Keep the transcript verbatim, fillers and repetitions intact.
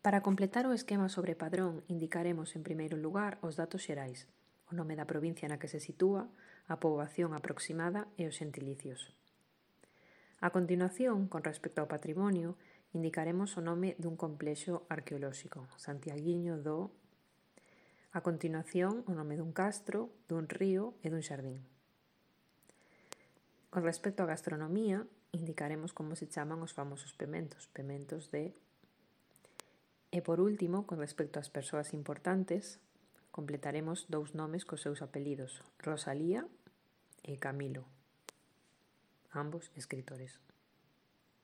Para completar o esquema sobre padrón, indicaremos en primeiro lugar os datos xerais, o nome da provincia na que se sitúa, a poboación aproximada e os xentilicios. A continuación, con respecto ao patrimonio, indicaremos o nome dun complexo arqueolóxico, Santiaguiño do... A continuación, o nome dun castro, dun río e dun xardín. Con respecto á gastronomía, indicaremos como se chaman os famosos pementos, pementos de... E por último, con respecto ás persoas importantes, completaremos dous nomes cos seus apelidos, Rosalía e Camilo, ambos escritores.